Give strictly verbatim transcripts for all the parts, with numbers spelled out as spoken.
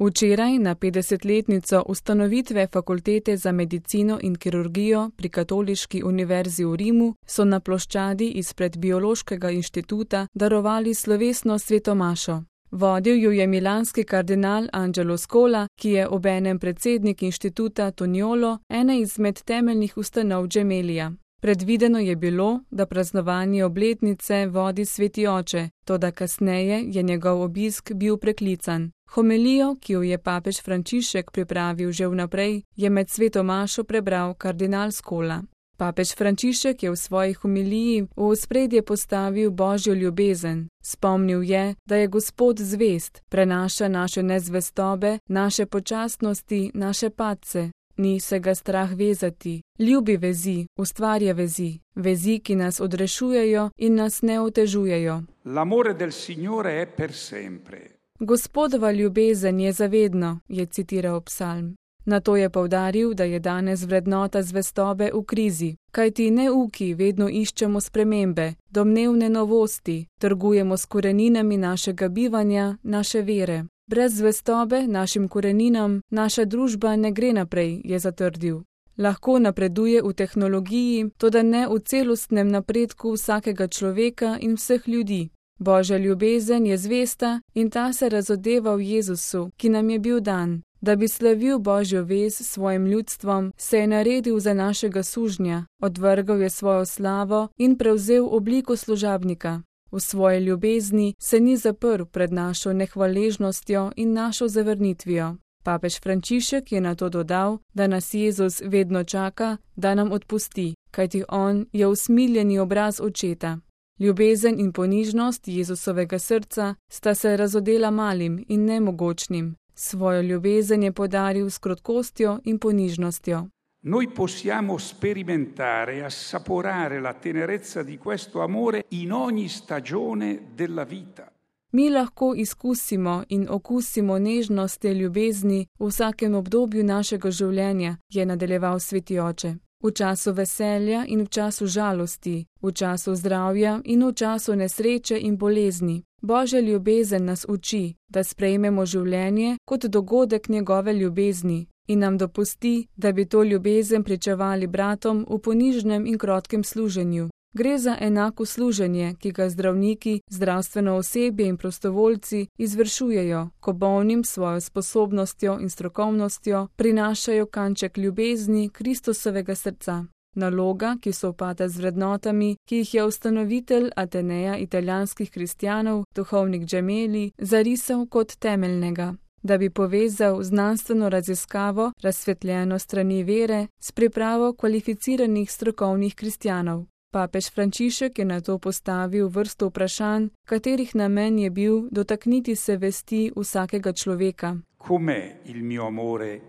Včeraj, na petdesetletnico ustanovitve Fakultete za medicino in kirurgijo pri Katoliški univerzi v Rimu, so na ploščadi izpred Biološkega inštituta darovali slovesno svetomašo. Vodil jo je milanski kardinal Angelo Scola, ki je obenem predsednik inštituta Toniolo, ene izmed temeljnih ustanov Gemelija. Predvideno je bilo, da praznovanje obletnice vodi sveti oče, toda kasneje je njegov obisk bil preklican. Homilijo, ki jo je papež Frančišek pripravil že vnaprej, je med sveto mašo prebral kardinal Scola. Papež Frančišek je v svoji homiliji v ospredje postavil Božjo ljubezen. Spomnil je, da je Gospod zvest, prenaša naše nezvestobe, naše počasnosti, naše padce. Ni se ga strah vezati, ljubi vezi, ustvarja vezi, vezi, ki nas odrešujejo in nas ne otežujejo. L'amore del Signore è per sempre. Gospodova ljubezen je zavedno, je citiral psalm. Nato je poudaril, da je danes vrednota zvestobe v krizi, kajti neuki vedno iščemo spremembe, domnevne novosti, trgujemo s koreninami našega bivanja, naše vere. Brez zvestobe našim koreninam naša družba ne gre naprej, je zatrdil. Lahko napreduje v tehnologiji, toda ne v celostnem napredku vsakega človeka in vseh ljudi. Božja ljubezen je zvesta in ta se razodeva v Jezusu, ki nam je bil dan. Da bi slavil Božjo vez s svojim ljudstvom, se je naredil za našega sužnja, odvrgal je svojo slavo in prevzel obliko služabnika. V svoji ljubezni se ni zaprl pred našo nehvaležnostjo in našo zavrnitvijo. Papež Frančišek je nato dodal, da nas Jezus vedno čaka, da nam odpusti, kajti on je usmiljeni obraz očeta. Ljubezen in ponižnost Jezusovega srca sta se razodela malim in nemogočnim. Svojo ljubezen je podaril s krotkostjo in ponižnostjo. Noi possiamo sperimentare e assaporare la tenerezza di questo amore in ogni stagione della vita. Mi lahko izkusimo in okusimo nežnost te ljubezni v vsakem obdobju našega življenja, je nadaljeval sveti oče. V času veselja in v času žalosti, v času zdravja in v času nesreče in bolezni. Božja ljubezen nas uči, da sprejmemo življenje kot dogodek njegove ljubezni in nam dopusti, da bi to ljubezen pričevali bratom v ponižnem in krotkem služenju. Gre za enako služenje, ki ga zdravniki, zdravstveno osebje in prostovoljci izvršujejo, ko bolnim svojo sposobnostjo in strokovnostjo prinašajo kanček ljubezni Kristusovega srca. Naloga, ki sovpada z vrednotami, ki jih je ustanovitelj Ateneja italijanskih kristjanov, duhovnik Gemelli, zarisal kot temeljnega, da bi povezal znanstveno raziskavo, razsvetljeno strani vere, s pripravo kvalificiranih strokovnih kristjanov. Papež Frančišek je nato postavil vrsto vprašanj, katerih namen je bil dotakniti se vesti vsakega človeka. Com'è il mio amore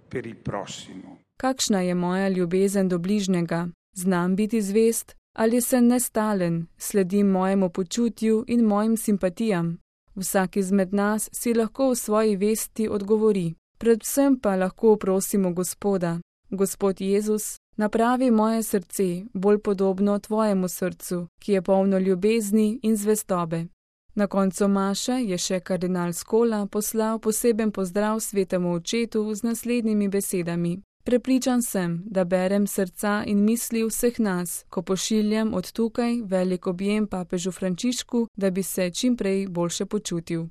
per il prossimo? Kakšna je moja ljubezen do bližnjega? Znam biti zvest ali sem nestalen, sledim mojemu počutju in mojim simpatijam? Vsak izmed nas si lahko v svoji vesti odgovori. Predvsem pa lahko prosimo Gospoda. Gospod Jezus, napravi moje srce bolj podobno tvojemu srcu, ki je polno ljubezni in zvestobe. Na koncu maše je še kardinal Scola poslal poseben pozdrav svetemu očetu z naslednjimi besedami. Prepričan sem, da berem srca in misli vseh nas, ko pošiljam od tukaj velik objem papežu Frančišku, da bi se čim prej boljše počutil.